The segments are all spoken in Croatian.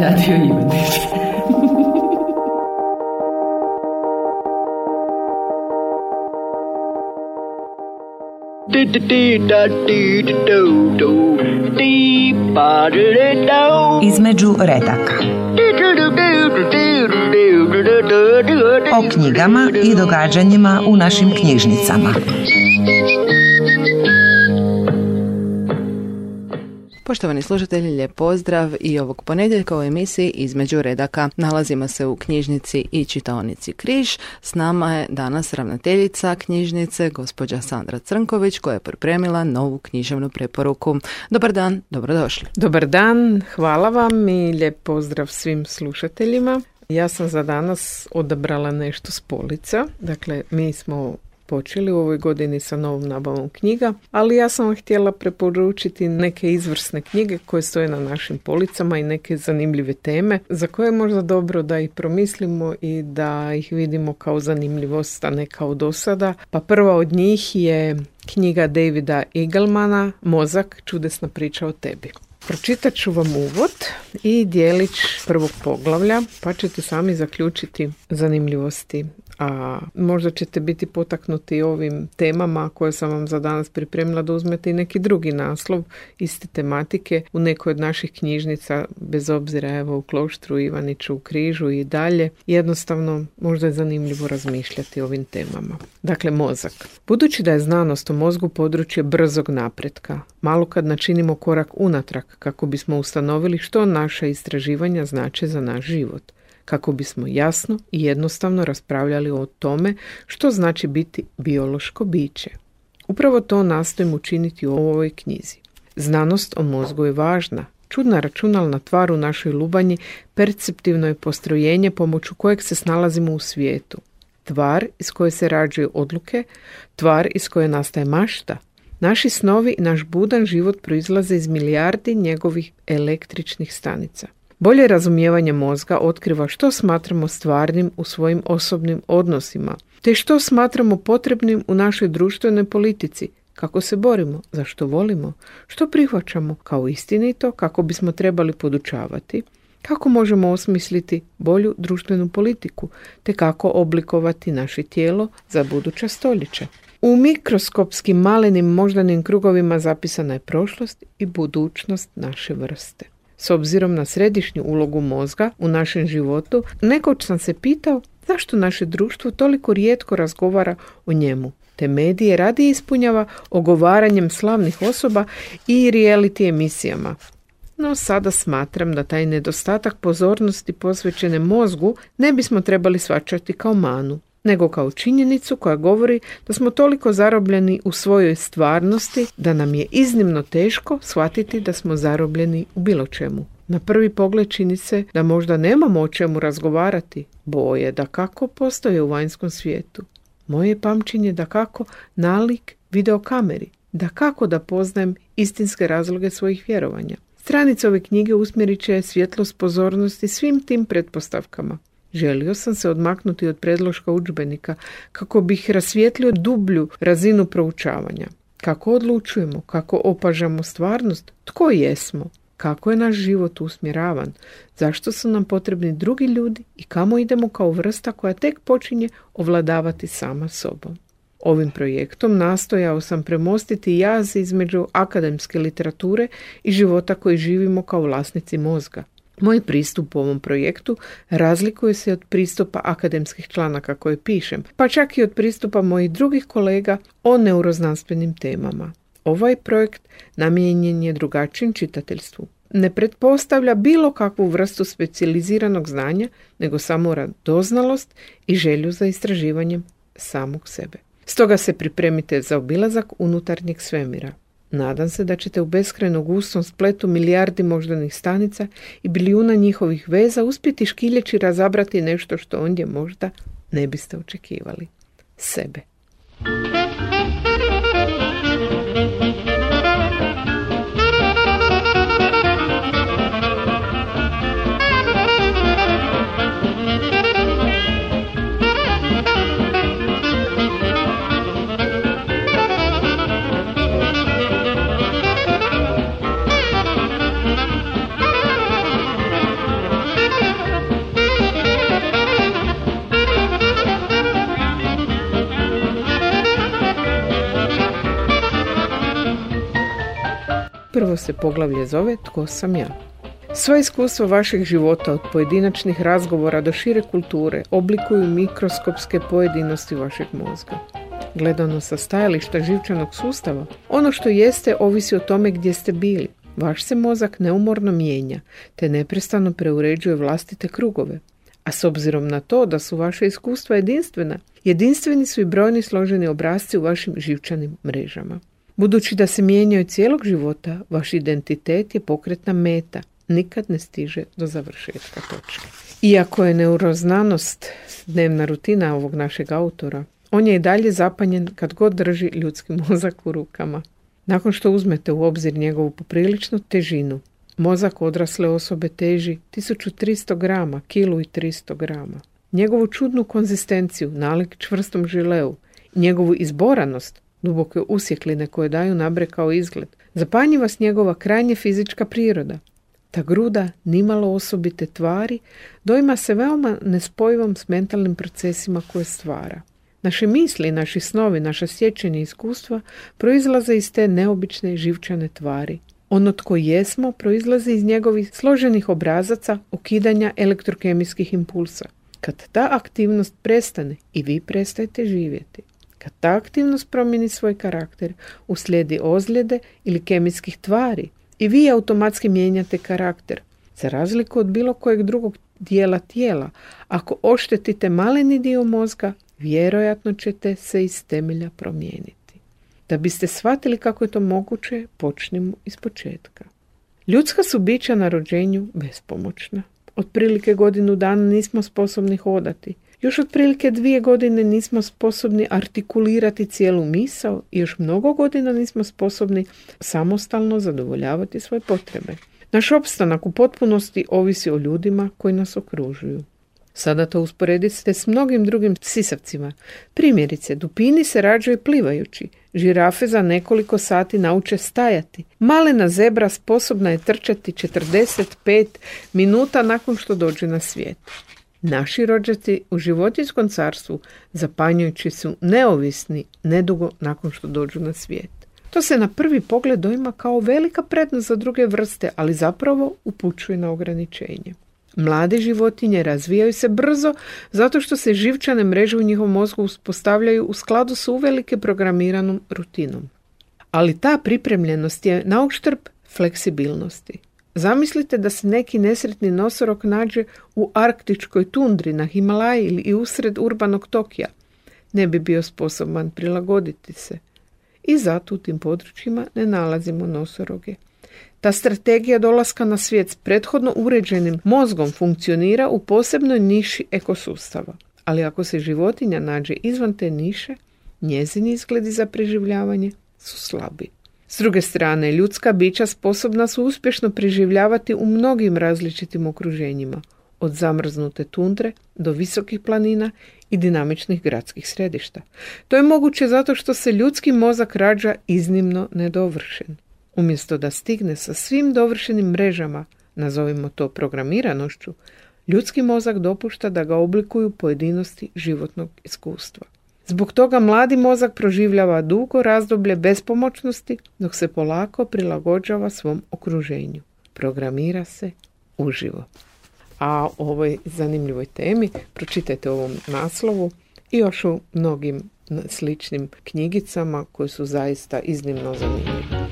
Radio Ivanić. Između redaka. O knjigama i događanjima u našim knjižnicama. Poštovani slušatelji, lijep pozdrav i ovog ponedjeljka u emisiji Između redaka. Nalazimo se u knjižnici i čitaonici Križ. S nama je danas ravnateljica knjižnice, gospođa Sandra Crnković, koja je pripremila novu književnu preporuku. Dobar dan, dobrodošli. Dobar dan, hvala vam i lijep pozdrav svim slušateljima. Ja sam za danas odabrala nešto s polica. Dakle, mi smo počeli u ovoj godini sa novom nabavom knjiga, ali ja sam vam htjela preporučiti neke izvrsne knjige koje stoje na našim policama i neke zanimljive teme za koje je možda dobro da ih promislimo i da ih vidimo kao zanimljivost, a ne kao dosada. Pa prva od njih je knjiga Davida Eaglemana Mozak, čudesna priča o tebi. Pročitat ću vam uvod i dijelić prvog poglavlja, pa ćete sami zaključiti zanimljivosti. A možda ćete biti potaknuti ovim temama koje sam vam za danas pripremila da uzmete i neki drugi naslov iste tematike u nekoj od naših knjižnica, bez obzira evo u Kloštru, Ivaniću, u Križu i dalje. Jednostavno možda je zanimljivo razmišljati o ovim temama. Dakle, mozak. Budući da je znanost o mozgu područje brzog napretka, malo kad načinimo korak unatrag kako bismo ustanovili što naša istraživanja znače za naš život, kako bismo jasno i jednostavno raspravljali o tome što znači biti biološko biće. Upravo to nastojim učiniti u ovoj knjizi. Znanost o mozgu je važna. Čudna računalna tvar u našoj lubanji perceptivno je postrojenje pomoću kojeg se snalazimo u svijetu. Tvar iz koje se rađaju odluke, tvar iz koje nastaje mašta. Naši snovi i naš budan život proizlaze iz milijardi njegovih električnih stanica. Bolje razumijevanje mozga otkriva što smatramo stvarnim u svojim osobnim odnosima, te što smatramo potrebnim u našoj društvenoj politici, kako se borimo, zašto volimo, što prihvaćamo kao istinito, kako bismo trebali podučavati, kako možemo osmisliti bolju društvenu politiku, te kako oblikovati naše tijelo za buduća stoljeća. U mikroskopskim malenim moždanim krugovima zapisana je prošlost i budućnost naše vrste. S obzirom na središnju ulogu mozga u našem životu, nekoć sam se pitao zašto naše društvo toliko rijetko razgovara o njemu, te medije radije ispunjava ogovaranjem slavnih osoba i reality emisijama. No sada smatram da taj nedostatak pozornosti posvećene mozgu ne bismo trebali shvaćati kao manu, nego kao činjenicu koja govori da smo toliko zarobljeni u svojoj stvarnosti da nam je iznimno teško shvatiti da smo zarobljeni u bilo čemu. Na prvi pogled čini se da možda nemamo o čemu razgovarati, boje da kako postoje u vanjskom svijetu. Moje pamćenje da kako nalik videokameri, da kako da poznajem istinske razloge svojih vjerovanja. Stranice ove knjige usmjerit će svjetlost pozornosti svim tim pretpostavkama. Želio sam se odmaknuti od predloška udžbenika kako bih rasvijetlio dublju razinu proučavanja. Kako odlučujemo, kako opažamo stvarnost, tko jesmo, kako je naš život usmjeravan, zašto su nam potrebni drugi ljudi i kamo idemo kao vrsta koja tek počinje ovladavati sama sobom. Ovim projektom nastojao sam premostiti jaz između akademske literature i života koji živimo kao vlasnici mozga. Moj pristup u ovom projektu razlikuje se od pristupa akademskih članaka koje pišem, pa čak i od pristupa mojih drugih kolega o neuroznanstvenim temama. Ovaj projekt namijenjen je drugačijem čitateljstvu. Ne pretpostavlja bilo kakvu vrstu specijaliziranog znanja, nego samo radoznalost i želju za istraživanjem samog sebe. Stoga se pripremite za obilazak unutarnjeg svemira. Nadam se da ćete u beskrajno gustom spletu milijardi moždanih stanica i bilijuna njihovih veza uspjeti škiljeći razabrati nešto što ondje možda ne biste očekivali. Sebe. Prvo se poglavlje zove Tko sam ja? Sva iskustva vašeg života od pojedinačnih razgovora do šire kulture oblikuju mikroskopske pojedinosti vašeg mozga. Gledano sa stajališta živčanog sustava, ono što jeste ovisi o tome gdje ste bili. Vaš se mozak neumorno mijenja, te neprestano preuređuje vlastite krugove. A s obzirom na to da su vaše iskustva jedinstvena, jedinstveni su i brojni složeni obrasci u vašim živčanim mrežama. Budući da se mijenjaju cijelog života, vaš identitet je pokretna meta, nikad ne stiže do završetka točke. Iako je neuroznanost dnevna rutina ovog našeg autora, on je i dalje zapanjen kad god drži ljudski mozak u rukama. Nakon što uzmete u obzir njegovu popriličnu težinu, mozak odrasle osobe teži 1300 grama, kilu i 300 grama. Njegovu čudnu konzistenciju, nalik čvrstom žileu, njegovu izboranost, duboke usjekline koje daju nabrekao izgled, zapanji vas njegova krajnje fizička priroda. Ta gruda nimalo osobite tvari doima se veoma nespojivom s mentalnim procesima koje stvara. Naše misli, naši snovi, naša sjećanja i iskustva proizlaze iz te neobične živčane tvari. Ono tko jesmo proizlazi iz njegovih složenih obrazaca ukidanja elektrokemijskih impulsa. Kad ta aktivnost prestane i vi prestajete živjeti. Kad ta aktivnost promijeni svoj karakter, uslijedi ozljede ili kemijskih tvari i vi automatski mijenjate karakter. Za razliku od bilo kojeg drugog dijela tijela, ako oštetite maleni dio mozga, vjerojatno ćete se iz temelja promijeniti. Da biste shvatili kako je to moguće, počnimo iz početka. Ljudska su bića na rođenju bespomoćna. Otprilike godinu dana nismo sposobni hodati. Još otprilike 2 godine nismo sposobni artikulirati cijelu misao i još mnogo godina nismo sposobni samostalno zadovoljavati svoje potrebe. Naš opstanak u potpunosti ovisi o ljudima koji nas okružuju. Sada to usporedite s mnogim drugim sisavcima. Primjerice, dupini se rađaju plivajući, žirafe za nekoliko sati nauče stajati. Malena zebra sposobna je trčati 45 minuta nakon što dođe na svijet. Naši rođaci u životinjskom carstvu zapanjujući su neovisni nedugo nakon što dođu na svijet. To se na prvi pogled doima kao velika prednost za druge vrste, ali zapravo upućuje na ograničenje. Mlade životinje razvijaju se brzo zato što se živčane mreže u njihovom mozgu uspostavljaju u skladu s uvelike programiranom rutinom. Ali ta pripremljenost je na uštrb fleksibilnosti. Zamislite da se neki nesretni nosorog nađe u arktičkoj tundri na Himalaji ili usred urbanog Tokija. Ne bi bio sposoban prilagoditi se. I zato u tim područjima ne nalazimo nosoroge. Ta strategija dolaska na svijet s prethodno uređenim mozgom funkcionira u posebnoj niši ekosustava. Ali ako se životinja nađe izvan te niše, njezini izgledi za preživljavanje su slabi. S druge strane, ljudska bića sposobna su uspješno preživljavati u mnogim različitim okruženjima, od zamrznute tundre do visokih planina i dinamičnih gradskih središta. To je moguće zato što se ljudski mozak rađa iznimno nedovršen. Umjesto da stigne sa svim dovršenim mrežama, nazovimo to programiranošću, ljudski mozak dopušta da ga oblikuju pojedinosti životnog iskustva. Zbog toga mladi mozak proživljava dugo razdoblje bespomoćnosti dok se polako prilagođava svom okruženju. Programira se uživo. A o ovoj zanimljivoj temi pročitajte ovom naslovu i još u mnogim sličnim knjigicama koje su zaista iznimno zanimljive.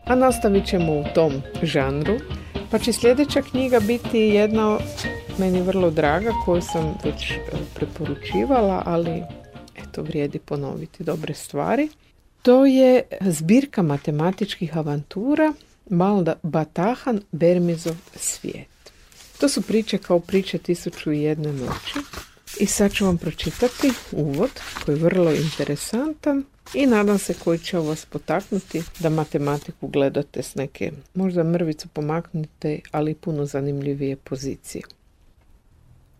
A nastavit ćemo u tom žanru, pa će sljedeća knjiga biti jedna meni vrlo draga koju sam već preporučivala, ali eto vrijedi ponoviti dobre stvari. To je zbirka matematičkih avantura Balda Batahan Bermezov svijet. To su priče kao priče 1001 noći. I sad ću vam pročitati uvod koji je vrlo interesantan i nadam se koji će vas potaknuti da matematiku gledate s neke, možda mrvicu pomaknite, ali puno zanimljivije pozicije.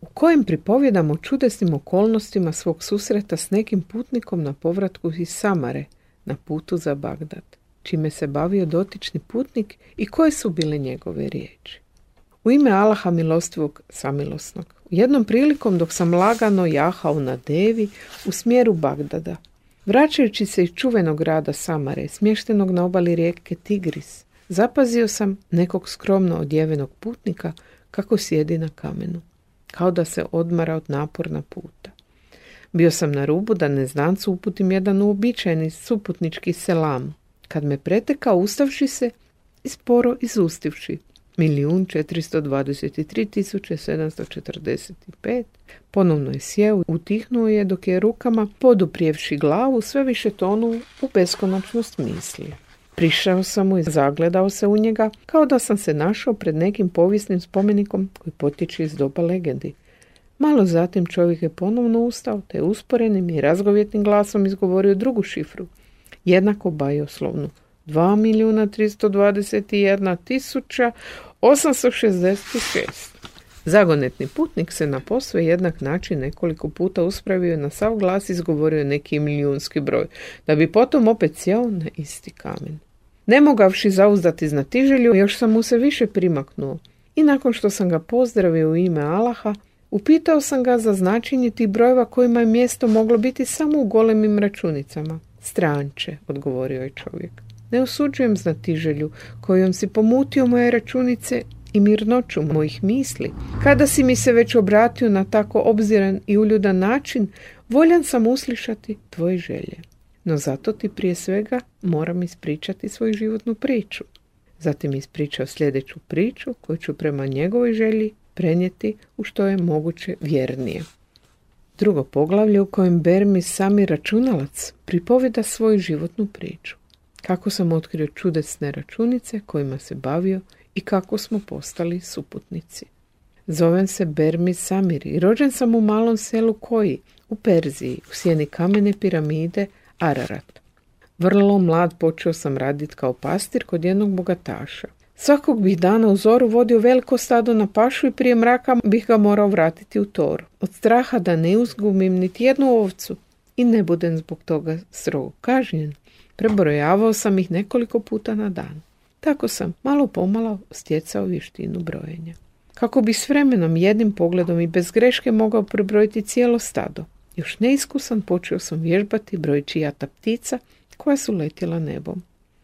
U kojem pripovjedamo o čudesnim okolnostima svog susreta s nekim putnikom na povratku iz Samare na putu za Bagdad. čime se bavio dotični putnik i koje su bile njegove riječi. U ime Allaha milostivog samilosnog. Jednom prilikom dok sam lagano jahao na devi u smjeru Bagdada, vraćajući se iz čuvenog grada Samare, smještenog na obali rijeke Tigris, zapazio sam nekog skromno odjevenog putnika kako sjedi na kamenu, kao da se odmara od naporna puta. Bio sam na rubu da neznancu uputim jedan uobičajeni suputnički selam, kad me pretekao ustavši se i sporo izustivši 1.423.745, ponovno je sjeo, utihnuo je dok je rukama, poduprijevši glavu, sve više tonuo u beskonačnost misli. Prišao sam mu i zagledao se u njega, kao da sam se našao pred nekim povijesnim spomenikom koji potječe iz doba legendi. Malo zatim čovjek je ponovno ustao, te usporenim i razgovjetnim glasom izgovorio drugu šifru, jednako bajoslovnu, 2.321.866. Zagonetni putnik se na posve jednak način nekoliko puta uspravio i na sav glas izgovorio neki milijunski broj, da bi potom opet sjeo na isti kamen. Ne mogavši zauzdati znatiželju, još sam mu se više primaknuo i nakon što sam ga pozdravio u ime Allaha, upitao sam ga za značenje tih brojeva kojima je mjesto moglo biti samo u golemim računicama. Stranče, odgovorio je čovjek. Ne osuđujem znatiželju kojom si pomutio moje računice i mirnoću mojih misli. Kada si mi se već obratio na tako obziran i uljudan način, voljan sam uslišati tvoje želje. No zato ti prije svega moram ispričati svoju životnu priču. Zatim ispričao sljedeću priču koju ću prema njegovoj želji prenijeti u što je moguće vjernije. Drugo poglavlje u kojem Bermis sami računalac pripovjeda svoju životnu priču. Kako sam otkrio čudesne računice kojima se bavio i kako smo postali suputnici. Zovem se Bermis Samir i rođen sam u malom selu Koji, u Perziji, u sjeni kamene piramide Ararat. Vrlo mlad počeo sam raditi kao pastir kod jednog bogataša. Svakog bih dana u zoru vodio veliko stado na pašu i prije mraka bih ga morao vratiti u toru. Od straha da ne uzgubim niti jednu ovcu i ne budem zbog toga strogo kažnjen, prebrojavao sam ih nekoliko puta na dan. Tako sam malo pomalo stjecao vještinu brojenja. Kako bi s vremenom jednim pogledom i bez greške mogao prebrojiti cijelo stado. Još neiskusan počeo sam vježbati brojeći jata ptica koja su letjela nebom.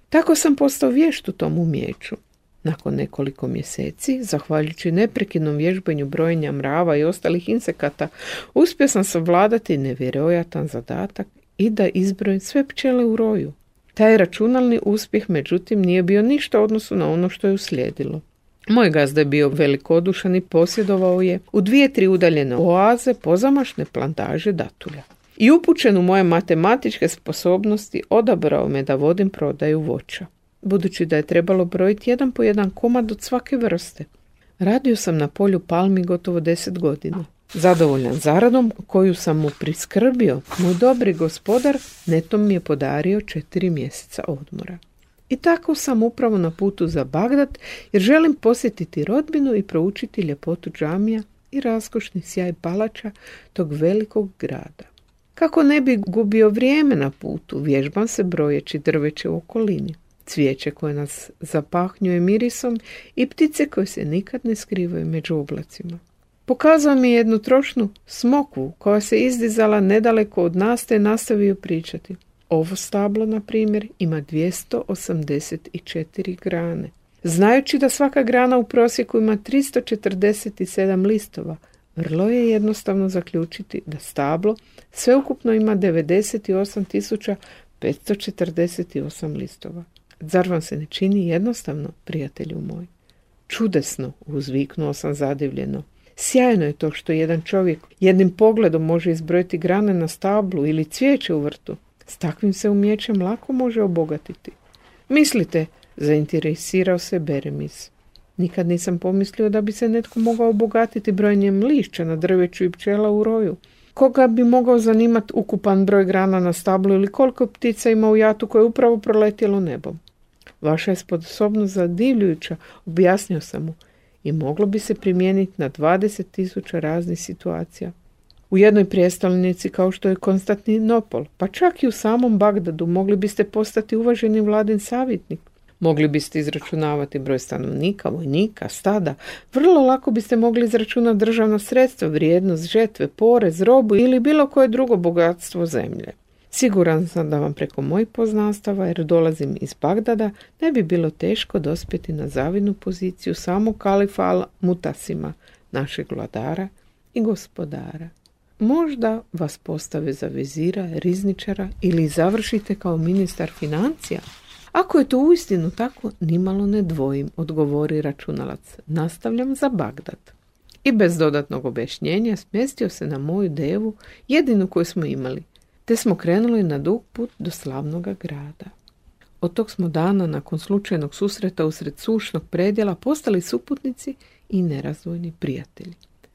Tako sam postao vješt u tom umijeću. Nakon nekoliko mjeseci, zahvaljujući neprekidnom vježbanju brojenja mrava i ostalih insekata, uspio sam savladati nevjerojatan zadatak i da izbrojim sve pčele u roju. Taj računalni uspjeh, međutim, nije bio ništa u odnosu na ono što je uslijedilo. Moj gazda je bio velikodušan i posjedovao je u 2-3 udaljene oaze pozamašne plantaže datulja. I upućen u moje matematičke sposobnosti odabrao me da vodim prodaju voća, budući da je trebalo brojiti jedan po jedan komad od svake vrste. Radio sam na polju palmi gotovo 10 godina. Zadovoljan zaradom koju sam mu priskrbio, moj dobri gospodar netom mi je podario 4 mjeseca odmora. I tako sam upravo na putu za Bagdad jer želim posjetiti rodbinu i proučiti ljepotu džamija i raskošni sjaj palača tog velikog grada. Kako ne bi gubio vrijeme na putu, vježbam se brojeći drveće u okolini, cvijeće koje nas zapahnjuje mirisom i ptice koje se nikad ne skrivaju među oblacima. Pokazao mi jednu trošnu smokvu koja se izdizala nedaleko od nas te nastavio pričati. Ovo stablo, na primjer, ima 284 grane. Znajući da svaka grana u prosjeku ima 347 listova, vrlo je jednostavno zaključiti da stablo sveukupno ima 98.548 listova. Zar vam se ne čini jednostavno, prijatelju moj? Čudesno, uzviknuo sam zadivljeno. Sjajno je to što jedan čovjek jednim pogledom može izbrojiti grane na stablu ili cvijeće u vrtu. S takvim se umijećem lako može obogatiti. Mislite, zainteresirao se Bermis. Nikad nisam pomislio da bi se netko mogao obogatiti brojenjem lišća na drveću i pčela u roju. Koga bi mogao zanimati ukupan broj grana na stablu ili koliko ptica ima u jatu koje je upravo proletjelo nebom? Vaša je sposobnost zadivljujuća, objasnio sam mu, i moglo bi se primijeniti na 20.000 raznih situacija. U jednoj prijestolnici kao što je Konstantinopol, pa čak i u samom Bagdadu mogli biste postati uvaženi vladin savjetnik. Mogli biste izračunavati broj stanovnika, vojnika, stada. Vrlo lako biste mogli izračunati državno sredstvo, vrijednost žetve, porez, robu ili bilo koje drugo bogatstvo zemlje. Siguran sam da vam preko mojih poznanstava, jer dolazim iz Bagdada, ne bi bilo teško dospjeti na zavidnu poziciju samog kalifa Al-Mutasima, našeg vladara i gospodara. Možda vas postave za vezira, rizničara ili završite kao ministar financija. Ako je to uistinu tako, nimalo ne dvojim, odgovori računalac. Nastavljam za Bagdad. I bez dodatnog objašnjenja smjestio se na moju devu, jedinu koju smo imali, te smo krenuli na dug put do slavnoga grada. Od tog smo dana, nakon slučajnog susreta usred sušnog predjela, postali suputnici i nerazdvojni prijatelji.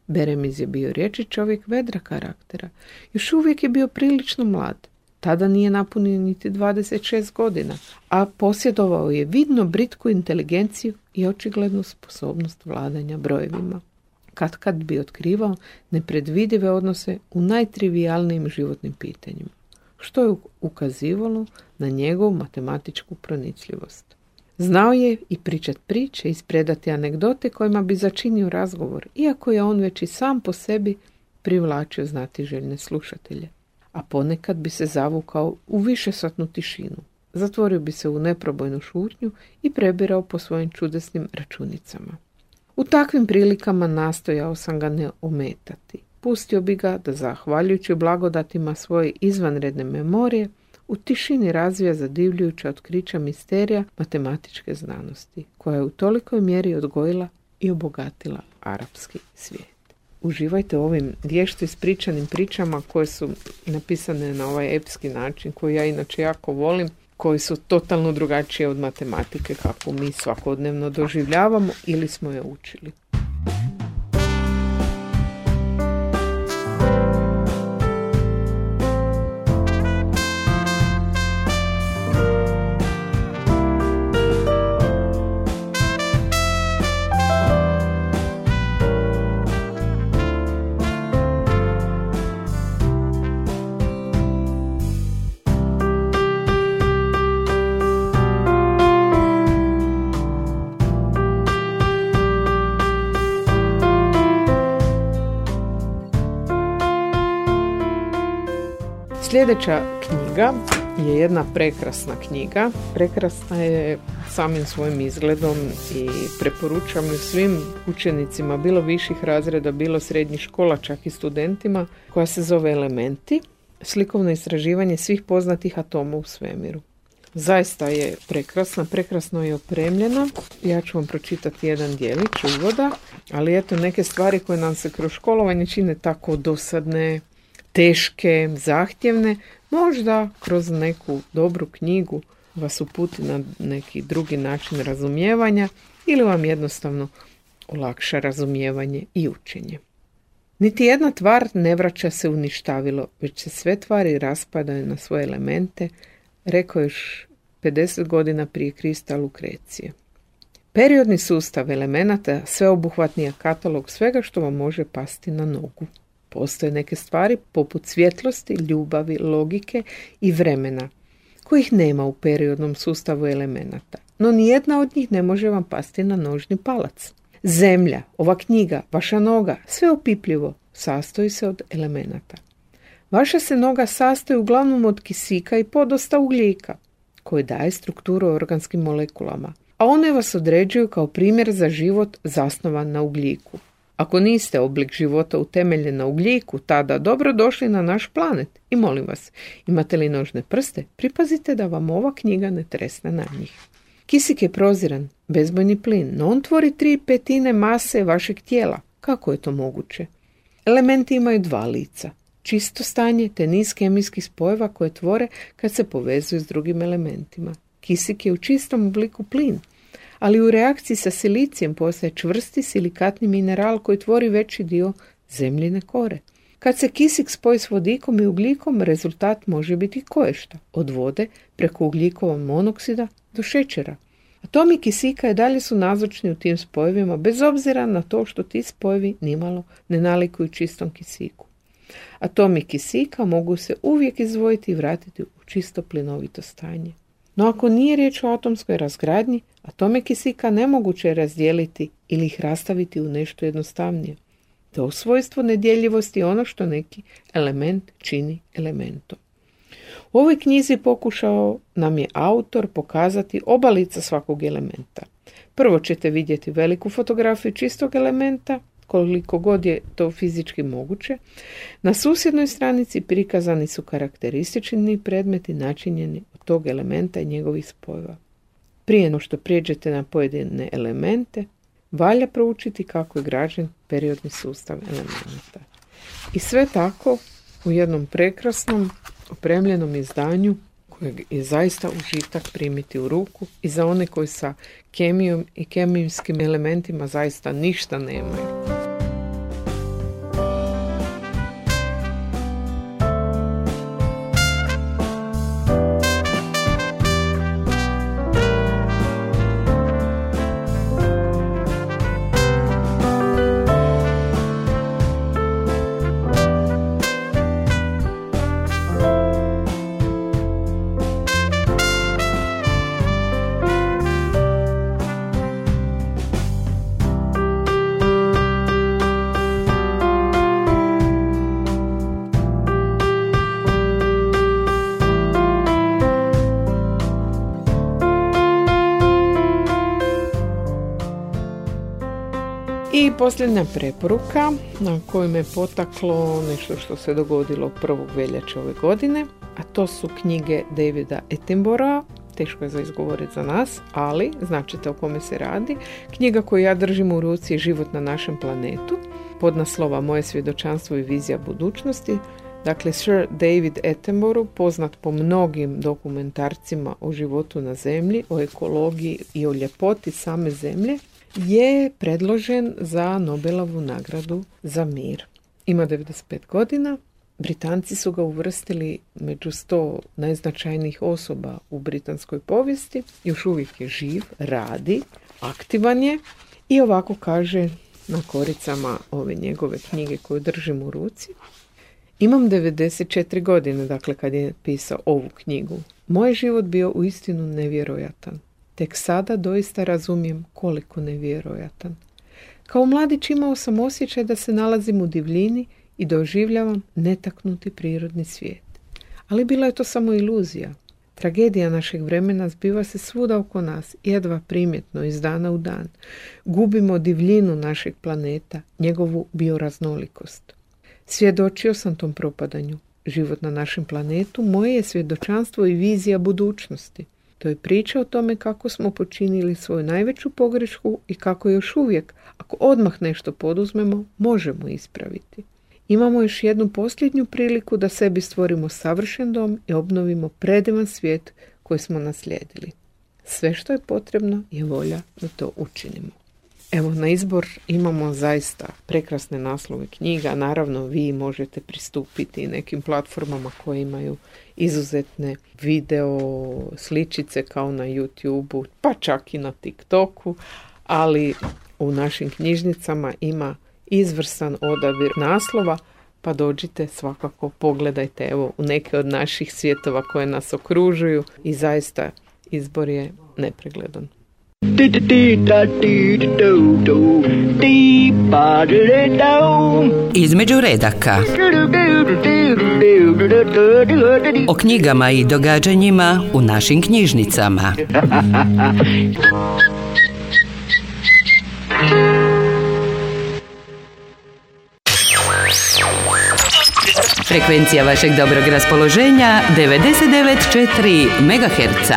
Beremiz je bio riječi čovjek vedra karaktera. Još uvijek je bio prilično mlad. Tada nije napunio niti 26 godina, a posjedovao je vidno britku inteligenciju i očiglednu sposobnost vladanja brojevima. Kad bi otkrivao nepredvidive odnose u najtrivijalnijim životnim pitanjima, što je ukazivalo na njegovu matematičku pronicljivost. Znao je i pričat priče, ispredati anegdote kojima bi začinio razgovor, iako je on već i sam po sebi privlačio znatiželjne slušatelje. A ponekad bi se zavukao u višesatnu tišinu, zatvorio bi se u neprobojnu šutnju i prebirao po svojim čudesnim računicama. U takvim prilikama nastojao sam ga ne ometati. Pustio bi ga da, zahvaljujući blagodatima svoje izvanredne memorije, u tišini razvija zadivljujuća otkrića misterija matematičke znanosti, koja je u tolikoj mjeri odgojila i obogatila arapski svijet. Uživajte u ovim vješto ispričanim pričama koje su napisane na ovaj epski način, koji ja inače jako volim, koji su totalno drugačije od matematike kako mi svakodnevno doživljavamo ili smo je učili. Sljedeća knjiga je jedna prekrasna knjiga. Prekrasna je samim svojim izgledom i preporučam ju svim učenicima, bilo viših razreda, bilo srednjih škola, čak i studentima, koja se zove Elementi, slikovno istraživanje svih poznatih atoma u svemiru. Zaista je prekrasna, prekrasno je opremljena. Ja ću vam pročitati jedan djelić uvoda, ali eto neke stvari koje nam se kroz školovanje čine tako dosadne, teške, zahtjevne, možda kroz neku dobru knjigu vas uputi na neki drugi način razumijevanja ili vam jednostavno olakša razumijevanje i učenje. Niti jedna tvar ne vraća se u ništavilo, već se sve tvari raspadaju na svoje elemente, rekao još 50 godina prije Krista Lukrecije. Periodni sustav elemenata sveobuhvatni je katalog svega što vam može pasti na nogu. Postoje neke stvari poput svjetlosti, ljubavi, logike i vremena, kojih nema u periodnom sustavu elemenata, no nijedna od njih ne može vam pasti na nožni palac. Zemlja, ova knjiga, vaša noga, sve opipljivo, sastoji se od elemenata. Vaša se noga sastoji uglavnom od kisika i podosta ugljika, koji daje strukturu organskim molekulama, a one vas određuju kao primjer za život zasnovan na ugljiku. Ako niste oblik života utemeljen na ugljiku, tada dobro došli na naš planet i molim vas, imate li nožne prste, pripazite da vam ova knjiga ne tresne na njih. Kisik je proziran, bezbojni plin, no on tvori 3/5 mase vašeg tijela. Kako je to moguće? Elementi imaju dva lica, čisto stanje te niz kemijskih spojeva koje tvore kad se povezuju s drugim elementima. Kisik je u čistom obliku plin, ali u reakciji sa silicijem postaje čvrsti silikatni mineral koji tvori veći dio zemljine kore. Kad se kisik spoji s vodikom i ugljikom, rezultat može biti koješta, od vode preko ugljikovog monoksida do šećera. Atomi kisika i dalje su nazočni u tim spojevima, bez obzira na to što ti spojevi nimalo ne nalikuju čistom kisiku. Atomi kisika mogu se uvijek izdvojiti i vratiti u čisto plinovito stanje. No ako nije riječ o atomskoj razgradnji, atome kisika nemoguće je razdijeliti ili ih rastaviti u nešto jednostavnije. To svojstvo nedjeljivosti je ono što neki element čini elementom. U ovoj knjizi pokušao nam je autor pokazati oba lica svakog elementa. Prvo ćete vidjeti veliku fotografiju čistog elementa, koliko god je to fizički moguće. Na susjednoj stranici prikazani su karakteristični predmeti načinjeni od tog elementa i njegovih spojeva. Prije no što prijeđete na pojedine elemente, valja proučiti kako je građen periodni sustav elementa. I sve tako u jednom prekrasnom, opremljenom izdanju kojeg je zaista užitak primiti u ruku i za one koji sa kemijom i kemijskim elementima zaista ništa nemaju. I posljednja preporuka na koju me potaklo nešto što se dogodilo 1. veljače ove godine, a to su knjige Davida Attenborough'a, teško je za izgovoriti za nas, ali značite o kome se radi. Knjiga koju ja držim u ruci je Život na našem planetu, podnaslova Moje svjedočanstvo i vizija budućnosti. Dakle, Sir David Attenborough, poznat po mnogim dokumentarcima o životu na zemlji, o ekologiji i o ljepoti same zemlje, je predložen za Nobelovu nagradu za mir. Ima 95 godina. Britanci su ga uvrstili među 100 najznačajnijih osoba u britanskoj povijesti. Još uvijek je živ, radi, aktivan je i ovako kaže na koricama ove njegove knjige koju držim u ruci. Imam 94 godine, dakle kad je pisao ovu knjigu. Moj život bio uistinu nevjerojatan. Tek sada doista razumijem koliko nevjerojatan. Kao mladić imao sam osjećaj da se nalazim u divljini i doživljavam netaknuti prirodni svijet. Ali bila je to samo iluzija. Tragedija našeg vremena zbiva se svuda oko nas, jedva primjetno iz dana u dan. Gubimo divljinu našeg planeta, njegovu bioraznolikost. Svjedočio sam tom propadanju. Život na našem planetu moje je svjedočanstvo i vizija budućnosti. To je priča o tome kako smo počinili svoju najveću pogrešku i kako još uvijek, ako odmah nešto poduzmemo, možemo ispraviti. Imamo još jednu posljednju priliku da sebi stvorimo savršen dom i obnovimo predivan svijet koji smo naslijedili. Sve što je potrebno je volja da to učinimo. Evo, na izbor imamo zaista prekrasne naslove knjiga. Naravno, vi možete pristupiti nekim platformama koje imaju izuzetne video sličice kao na YouTubeu, pa čak i na TikToku, ali u našim knjižnicama ima izvrstan odabir naslova, pa dođite svakako, pogledajte evo u neke od naših svjetova koje nas okružuju i zaista izbor je nepregledan. Između redaka. O knjigama i događanjima u našim knjižnicama. Frekvencija vašeg dobrog raspoloženja 99,4 MHz.